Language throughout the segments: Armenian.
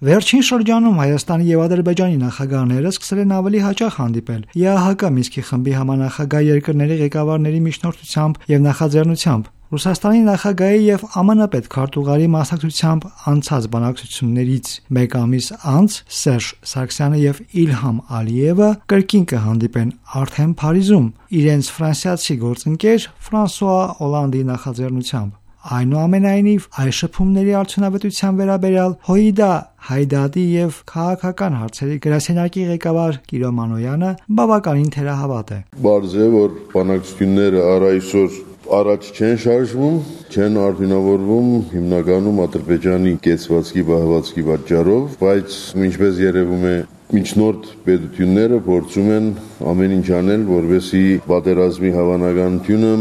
Վերջին շրջանում Հայաստանի եւ Ադրբեջանի նախագահները սկսել են ավելի հաճախ հանդիպել ԵԱՀԿ Մինսկի խմբի համանախագահ երկրների ղեկավարների միջնորդությամբ եւ նախաձեռնությամբ։ Ռուսաստանի նախագահի եւ ԱՄՆ պետքարտուղարի մասնակցությամբ անցած բանակցություններից մեկ ամիս անց Սերժ Սարգսյանը եւ Իլհամ Ալիևը կրկին կհանդիպեն արդեն Փարիզում իրենց ֆրանսիացի գործընկեր Ֆրանսուଆ Օլանդի նախաձեռնությամբ։ Այնուամենայնիվ, այս շփումների արդյունավետության վերաբերյալ Հոիդա Հայդադի եւ քաղաքական հարցերի գրասենյակի ղեկավար Կիրո Մանոյանը բավականին թերահավատ է։ Բարձ է, որ բանակցությունները առայսօր առաջ չեն շարժվում, չեն արդյունավորվում հիմնականում Ադրբեջանի կեցվածքի բահվածքի պատճառով, բայց ինչպես երևում է միջնորդ պետությունները փորձում են ամեն ինչ անել, որպեսզի պատերազմի հավանականությունը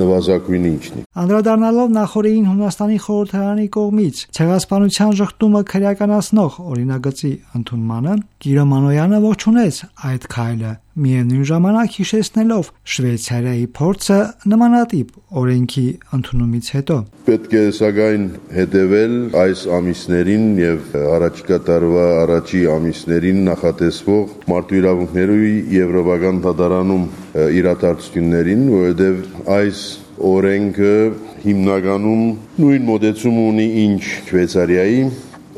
նվազագույնի իջնի։ Անդրադառնալով նախորդին Հունաստանի խորհրդարանի կողմից ցեղասպանության ժխտումը քրեականացնող օրինագծի ընդունմանը, Կիրո Մանոյանը ողջունեց այդ քայլը, միևնույն ժամանակ հիշեցնելով Շվեյցարիայի փորձը նմանատիպ օրենքի ընդունումից հետո։ Պետք է սակայն հետևել այս ամիսներին եւ առաջիկա տարվա առաջի ամիսներին նախատեսվող մարդու իրավունքների եվրոպական դատարանում իրադարձություններին, որովհետեւ այս օրենքը հիմնականում նույն մոդեցում ունի ինչ Շվեյցարիայի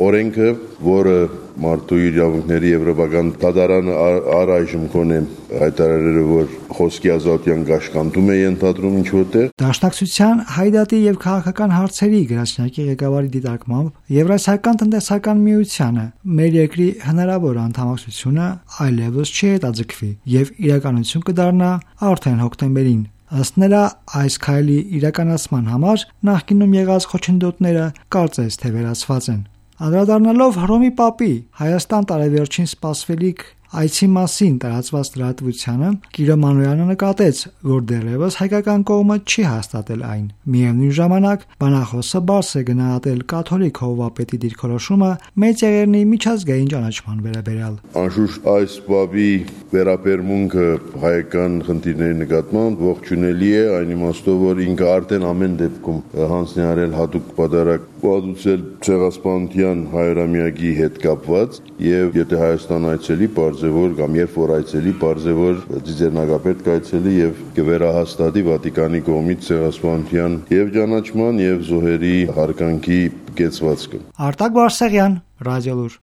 օրենքը, որը մարդու իրավունքների եվրոպական դատարանը առայժմ կոնե հայտարարել է, որ խոսքի ազատության կաշկանդում է ենթադրում ինչ որտեղ։ Դաշնակցության Հայդատի եւ քաղաքական հարցերի գրասենյակի ղեկավարի դիտարկմամբ Եվրասիական տնտեսական միությանը մեր երկրի հնարավոր անդամակցությունը այլևս չի հետաձգվի եւ իրականություն կդառնա արդեն հոկտեմբերին։ Ըստ նրա, այս քայլի իրականացման համար նախկինում եղած խոչընդոտները կարծես թե վերացված են։ Անդրադառնալով Հռոմի Պապի Հայաստան տարեվերջին սպասվելիք այցի մասին տարածված լրատվությանը, Կիրո Մանոյանը նկատեց, որ դեռևս հայկական կողմը չի հաստատել այն։ Միևնույն ժամանակ, բանախոսը բաց է գնահատել կաթոլիկ հովվապետի դիրքորոշումը մեծեղեռնի միջազգային ճանաչման վերաբերյալ։ Անշուշտ այս Պապի վերաբերմունքը հայկական խնդիրների նկատմամբ ողջունելի է, այն իմաստով, որ ինքը արդեն ամեն դեպքում հանձնի արել հատուկ պատարագ պատուցել ցեղասպանության 100-ամյակի հետ կապված եւ եթե Հայաստան այցելի բարձեւոր կամ երբ որ այցելի բարձեւոր ծիծեռնակապետ կայցելի եւ կվերահաստատի Վատիկանի կողմից ցեղասպանության եւ ճանաչման եւ զոհերի հարկանքի կեցվածքը։ Արտակ Բարսեղյան, Ռադիոլուր։